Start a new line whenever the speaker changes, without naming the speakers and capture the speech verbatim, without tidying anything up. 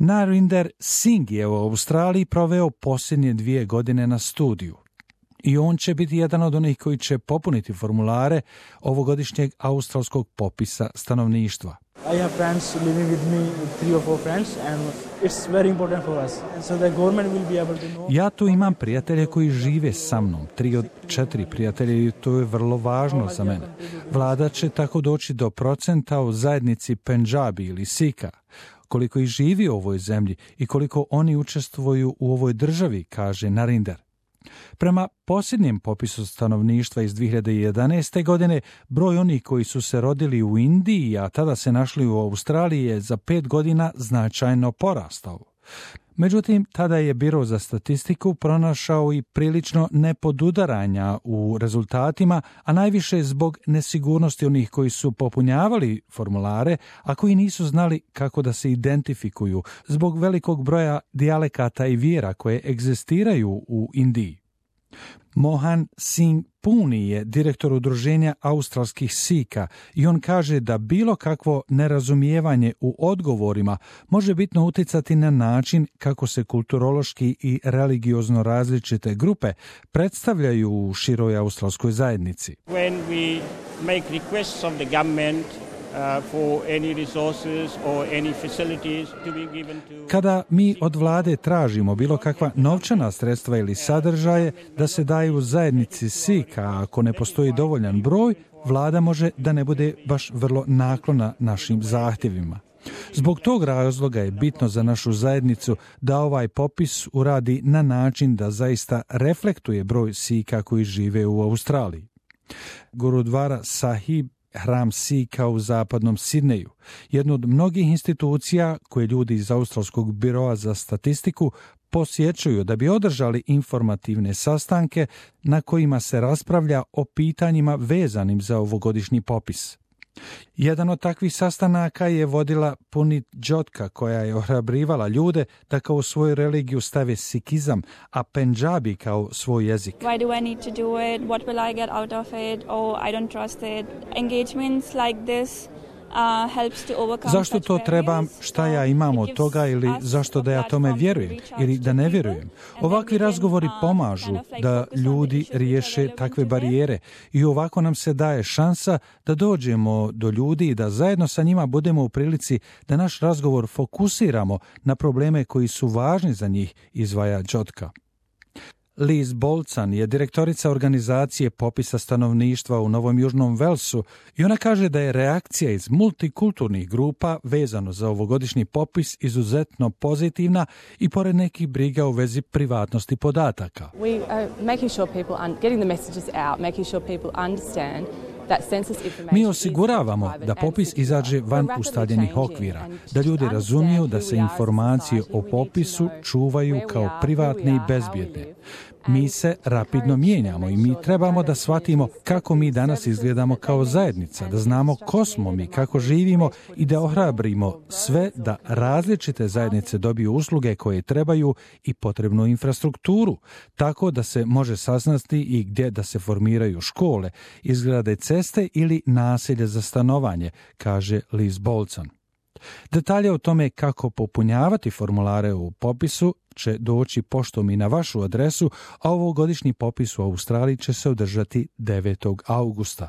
Narinder Singh je u Australiji proveo posljednje dvije godine na studiju. I on će biti jedan od onih koji će popuniti formulare ovogodišnjeg australskog popisa stanovništva.
I have friends living with me, three or four friends, and it's very important for us. And so the government will be able to know.
Ja tu imam prijatelje koji žive sa mnom, tri od četiri prijatelja, i to je vrlo važno za mene. Vlada će tako doći do procenta u zajednici Pendžabi ili Sika, koliko ih živi u ovoj zemlji i koliko oni učestvuju u ovoj državi, kaže Narinder. Prema posljednjem popisu stanovništva iz dvije hiljade jedanaeste. godine, broj onih koji su se rodili u Indiji, a tada se našli u Australiji, je za pet godina značajno porastao. Međutim, tada je Biro za statistiku pronašao i prilično nepodudaranja u rezultatima, a najviše zbog nesigurnosti onih koji su popunjavali formulare, a koji nisu znali kako da se identifikuju zbog velikog broja dijalekata i vjera koje egzistiraju u Indiji. Mohan Singh Puni je direktor udruženja australskih Sika i on kaže da bilo kakvo nerazumijevanje u odgovorima može bitno utjecati na način kako se kulturološki i religiozno različite grupe predstavljaju u široj australskoj zajednici.
When we make requests of the government Uh, for any resources or any facilities to be given to...
Kada mi od vlade tražimo bilo kakva novčana sredstva ili sadržaje da se daju zajednici Sika, a ako ne postoji dovoljan broj, vlada može da ne bude baš vrlo naklona našim zahtjevima. Zbog tog razloga je bitno za našu zajednicu da ovaj popis uradi na način da zaista reflektuje broj Sika koji žive u Australiji. Gurudvara Sahib, hram Sika u zapadnom Sidneju, jedno od mnogih institucija koje ljudi iz Australskog biroa za statistiku posjećuju da bi održali informativne sastanke na kojima se raspravlja o pitanjima vezanim za ovogodišnji popis. Jedan od takvih sastanaka je vodila Punit Jotka, koja je ohrabrivala ljude da kao svoju religiju stave sikizam, a Pendžabi kao svoj jezik.
Why do I need to do it? What will I get out of it? Oh, I don't trust it. Engagements like this uh, helps to overcome.
Zašto to trebam? Šta ja imam od toga? Ili zašto da ja tome vjerujem? Ili da ne vjerujem? Ovakvi razgovori pomažu da ljudi riješe takve barijere i ovako nam se daje šansa da dođemo do ljudi i da zajedno sa njima budemo u prilici da naš razgovor fokusiramo na probleme koji su važni za njih, izdvaja Jotka. Liz Bolcan je direktorica organizacije popisa stanovništva u Novom Južnom Velsu i ona kaže da je reakcija iz multikulturnih grupa vezano za ovogodišnji popis izuzetno pozitivna i pored nekih briga u vezi privatnosti podataka.
We are making sure people are getting the messages out, making sure people understand.
Mi osiguravamo da popis izađe van ustaljenih okvira, da ljudi razumiju da se informacije o popisu čuvaju kao privatne i bezbjedne. Mi se rapidno mijenjamo i mi trebamo da shvatimo kako mi danas izgledamo kao zajednica, da znamo ko smo mi, kako živimo i da ohrabrimo sve da različite zajednice dobiju usluge koje trebaju i potrebnu infrastrukturu, tako da se može saznati i gdje da se formiraju škole, izgrade ceste ili naselje za stanovanje, kaže Liz Bolcan. Detalje o tome kako popunjavati formulare u popisu će doći poštom i na vašu adresu, a ovogodišnji popis u Australiji će se održati devetog augusta.